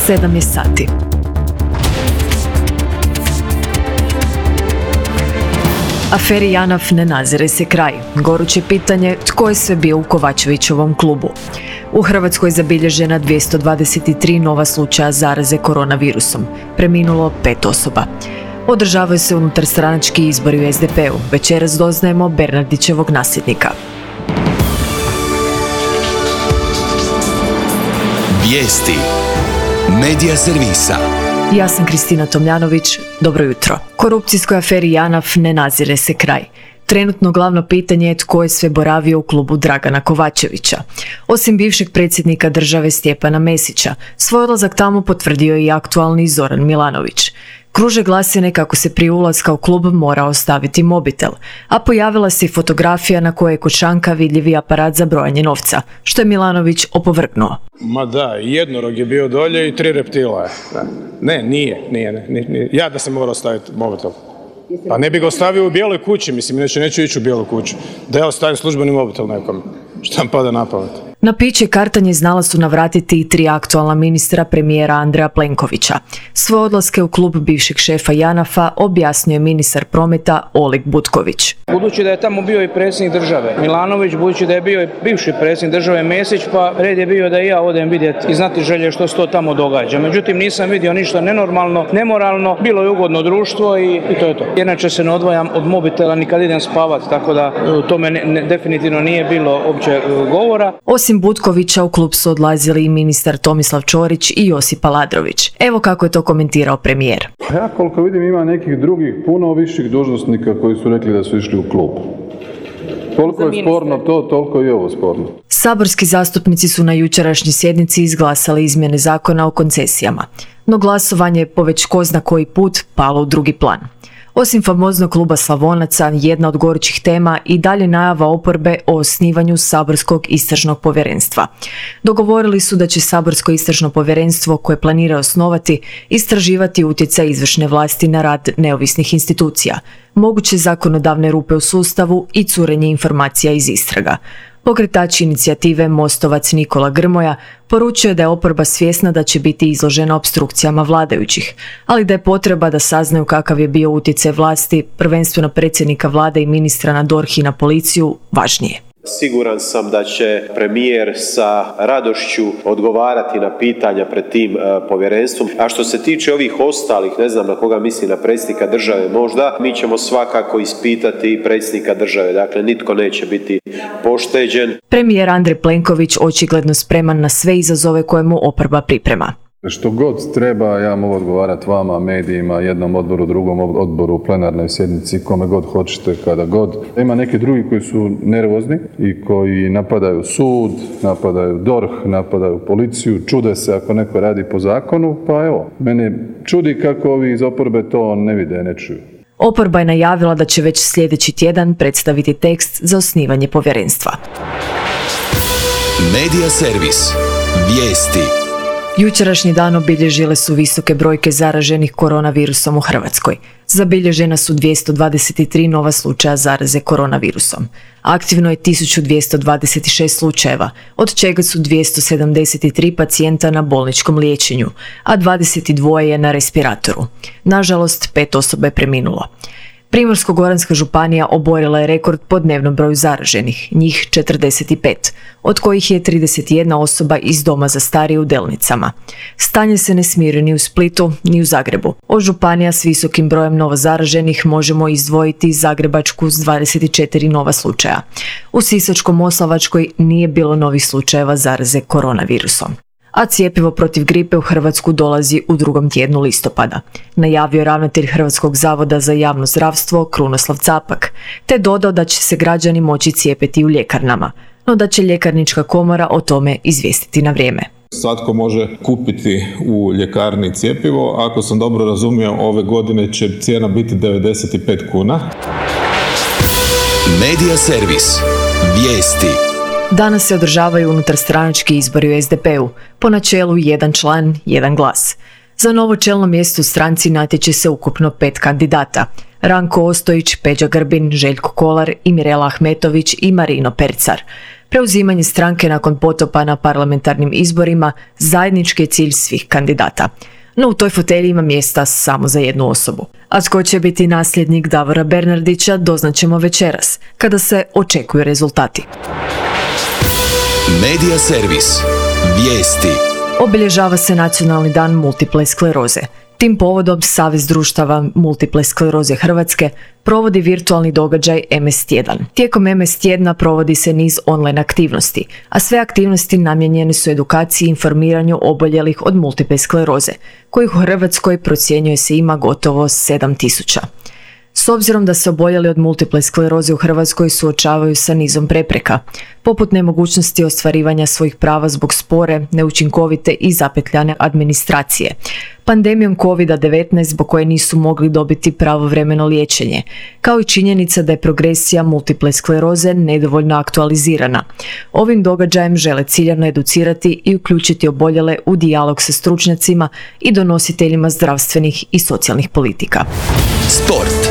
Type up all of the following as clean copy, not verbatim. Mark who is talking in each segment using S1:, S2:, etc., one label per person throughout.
S1: 7 je sati. Aferi JANAF ne nazire se kraj. Goruće pitanje tko je sve bio u Kovačevićevom klubu. U Hrvatskoj je zabilježena 223 nova slučaja zaraze koronavirusom. Preminulo 5 osoba. Održavaju se unutarstranački izbori u SDP-u. Večeras doznajemo Bernardićevog nasljednika.
S2: Vijesti Medija servisa.
S1: Ja sam Kristina Tomljanović, dobro jutro. Korupcijskoj aferi JANAF ne nazire se kraj. Trenutno glavno pitanje je tko je sve boravio u klubu Dragana Kovačevića. Osim bivšeg predsjednika države Stjepana Mesića, svoj odlazak tamo potvrdio i aktualni Zoran Milanović. Kruže glasine kako se prije ulaska u klub mora ostaviti mobitel, a pojavila se i fotografija na kojoj je kod šanka vidljivi aparat za brojanje novca, što je Milanović opovrgnuo.
S3: Ma da, jednorog je bio dolje i 3 reptila je. Ne, nije. Ja da sam morao staviti mobitel. Pa ne bi ga ostavio u bijeloj kući, mislim, neću ići u bijelu kuću. Da ja ostavim službeni mobitel nekom. Šta mi pada na pamet?
S1: Na piće kartanje znala su navratiti i 3 aktualna ministra premijera Andreja Plenkovića. Svoje odlaske u klub bivšeg šefa JANAF-a objasnio je ministar prometa Oleg Butković.
S4: Budući da je tamo bio i predsjednik države Milanović, budući da je bio i bivši predsjednik države Mesić, pa red je bio da i ja odem vidjeti i znati želje što se to tamo događa. Međutim, nisam vidio ništa nenormalno, nemoralno, bilo je ugodno društvo i to je to. Inače se ne odvajam od mobitela ni kad idem spavati, tako da o tome definitivno nije bilo uopće govora.
S1: Osim Butkovića u klub su odlazili i ministar Tomislav Ćorić i Josip Aladrović. Evo kako je to komentirao premijer.
S5: Ja koliko vidim ima nekih drugih puno viših dužnosnika koji su rekli da su išli u klub. Koliko je sporno to, toliko je i ovo sporno.
S1: Saborski zastupnici su na jučerašnjoj sjednici izglasali izmjene zakona o koncesijama, no glasovanje je po već ko zna koji put palo u drugi plan. Osim famoznog kluba Slavonaca, jedna od gorućih tema i dalje najava oporbe o osnivanju saborskog istražnog povjerenstva. Dogovorili su da će saborsko istražno povjerenstvo koje planira osnovati istraživati utjecaj izvršne vlasti na rad neovisnih institucija, moguće zakonodavne rupe u sustavu i curenje informacija iz istraga. Pokretač inicijative Mostovac Nikola Grmoja poručuje da je oporba svjesna da će biti izložena opstrukcijama vladajućih, ali da je potreba da saznaju kakav je bio utjecaj vlasti, prvenstveno predsjednika vlade i ministra na DORH i na policiju, važnije.
S6: Siguran sam da će premijer sa radošću odgovarati na pitanja pred tim povjerenstvom. A što se tiče ovih ostalih, ne znam na koga misli, na predsjednika države možda, mi ćemo svakako ispitati predsjednika države. Dakle, nitko neće biti pošteđen.
S1: Premijer Andrej Plenković očigledno spreman na sve izazove koje mu oporba priprema.
S5: Što god treba, ja mogu odgovarati vama, medijima, jednom odboru, drugom odboru, plenarnoj sjednici, kome god hoćete, kada god. Ima neki drugi koji su nervozni i koji napadaju sud, napadaju DORH, napadaju policiju, čude se ako neko radi po zakonu, pa evo, mene čudi kako ovi iz oporbe to ne vide, ne čuju.
S1: Oporba je najavila da će već sljedeći tjedan predstaviti tekst za osnivanje povjerenstva.
S2: Medija servis. Vijesti.
S1: Jučerašnji dan obilježile su visoke brojke zaraženih koronavirusom u Hrvatskoj. Zabilježena su 223 nova slučaja zaraze koronavirusom. Aktivno je 1226 slučajeva, od čega su 273 pacijenta na bolničkom liječenju, a 22 je na respiratoru. Nažalost, 5 osoba je preminulo. Primorsko-goranska županija oborila je rekord po dnevnom broju zaraženih, njih 45, od kojih je 31 osoba iz doma za starije u Delnicama. Stanje se ne smiri ni u Splitu, ni u Zagrebu. Od županija s visokim brojem novozaraženih možemo izdvojiti Zagrebačku s 24 nova slučaja. U Sisačko-moslavačkoj nije bilo novih slučajeva zaraze koronavirusom. A cjepivo protiv gripe u Hrvatsku dolazi u 2. tjednu listopada, najavio ravnatelj Hrvatskog zavoda za javno zdravstvo Krunoslav Capak, te dodao da će se građani moći cijepiti u ljekarnama, no da će ljekarnička komora o tome izvijestiti na vrijeme.
S7: Svatko može kupiti u ljekarni cjepivo, ako sam dobro razumio, ove godine će cijena biti 95 kuna.
S2: Medija servis. Vijesti.
S1: Danas se održavaju unutarstranački izbori u SDP-u, po načelu jedan član, jedan glas. Za novo čelno mjesto u stranci natječe se ukupno 5 kandidata. Ranko Ostojić, Peđa Grbin, Željko Kolar i Mirela Ahmetović i Marino Percar. Preuzimanje stranke nakon potopa na parlamentarnim izborima zajednički je cilj svih kandidata. No u toj fotelji ima mjesta samo za jednu osobu. A tko će biti nasljednik Davora Bernardića doznaćemo večeras, kada se očekuju rezultati.
S2: Medija servis. Vijesti.
S1: Obilježava se Nacionalni dan multiple skleroze. Tim povodom Savez društava multiple skleroze Hrvatske provodi virtualni događaj MS tjedan. Tijekom MS tjedna provodi se niz online aktivnosti, a sve aktivnosti namijenjene su edukaciji i informiranju oboljelih od multiple skleroze, kojih u Hrvatskoj procjenjuje se ima gotovo 7.000. S obzirom da se oboljeli od multiple skleroze u Hrvatskoj suočavaju sa nizom prepreka, poput nemogućnosti ostvarivanja svojih prava zbog spore, neučinkovite i zapetljane administracije, pandemijom COVID-19 zbog koje nisu mogli dobiti pravovremeno liječenje, kao i činjenica da je progresija multiple skleroze nedovoljno aktualizirana. Ovim događajem žele ciljano educirati i uključiti oboljele u dijalog sa stručnjacima i donositeljima zdravstvenih i socijalnih politika.
S2: Sport.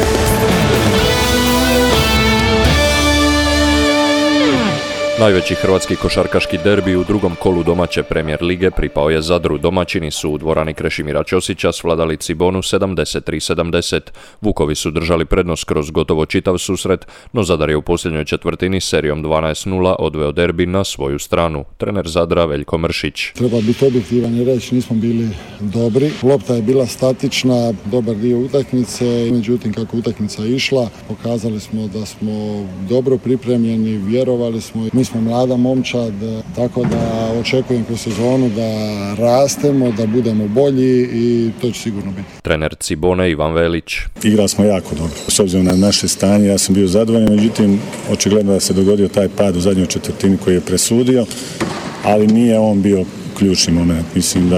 S8: Najveći hrvatski košarkaški derbi u drugom kolu domaće Premijer lige pripao je Zadru. Domaćini su u dvorani Krešimira Ćosića svladali Cibonu 73-70. Vukovi su držali prednost kroz gotovo čitav susret, no Zadar je u posljednjoj četvrtini serijom 12-0 odveo derbi na svoju stranu. Trener Zadra Veljko Mršić.
S9: Treba biti objektivan i reći nismo bili dobri. Lopta je bila statična, dobar dio utakmice, međutim kako utakmica išla, pokazali smo da smo dobro pripremljeni, vjerovali smo. Mi smo mlada momčad, tako da očekujem kroz sezonu da rastemo, da budemo bolji i to će sigurno biti.
S8: Trener Cibone Ivan Velić.
S10: Igrali smo jako dobro. S obzirom na naše stanje, ja sam bio zadovoljan, međutim, očigledno da se dogodio taj pad u zadnjoj četvrtini koji je presudio, ali nije on bio ključni moment. Mislim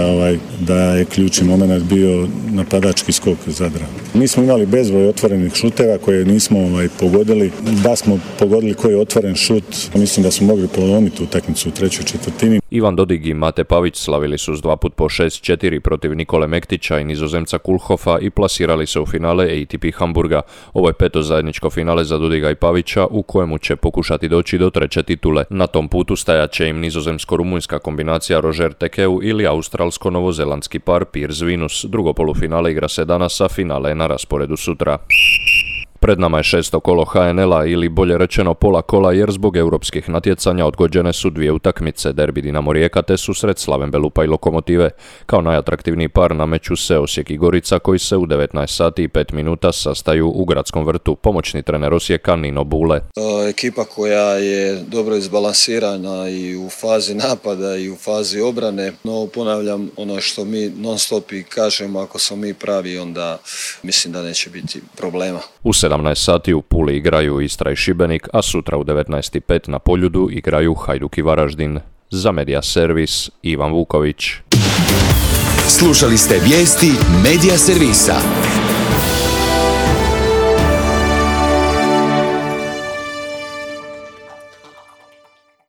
S10: da je ključni moment bio napadački skok Zadra. Mi smo imali bezbroj otvorenih šuteva koje nismo pogodili. Da smo pogodili koji je otvoren šut, mislim da smo mogli polomiti utakmicu u trećoj četvrtini.
S8: Ivan Dodig i Mate Pavić slavili su s 2 puta po 6-4 protiv Nikole Mektića i Nizozemca Kulhofa i plasirali se u finale ATP Hamburga. Ovo je 5. zajedničko finale za Dodiga i Pavića u kojemu će pokušati doći do 3. titule. Na tom putu stajat će im nizozemsko-rumunjska kombinacija Roger Tekeu ili australsko-novozelandski par Piers Venus. Drugo polufinale igra se danas, a finale je na rasporedu sutra. Pred nama je 6. kolo HNL-a ili bolje rečeno pola kola jer zbog europskih natjecanja odgođene su 2 utakmice, derbi Dinamo Rijeka te susret Slaven Belupa i Lokomotive. Kao najatraktivniji par nameću se Osijek i Gorica koji se u 19 sati i 5 minuta sastaju u Gradskom vrtu. Pomoćni trener Osijeka Nino Bule.
S11: Ekipa koja je dobro izbalansirana i u fazi napada i u fazi obrane, no ponavljam ono što mi non stop i kažemo, ako smo mi pravi onda mislim da neće biti problema.
S8: U 17 sati u Puli igraju Istra i Šibenik, a sutra u 19:05 na Poljudu igraju Hajduk i Varaždin. Za Medija servis Ivan Vuković.
S2: Slušali ste vijesti Medija servisa.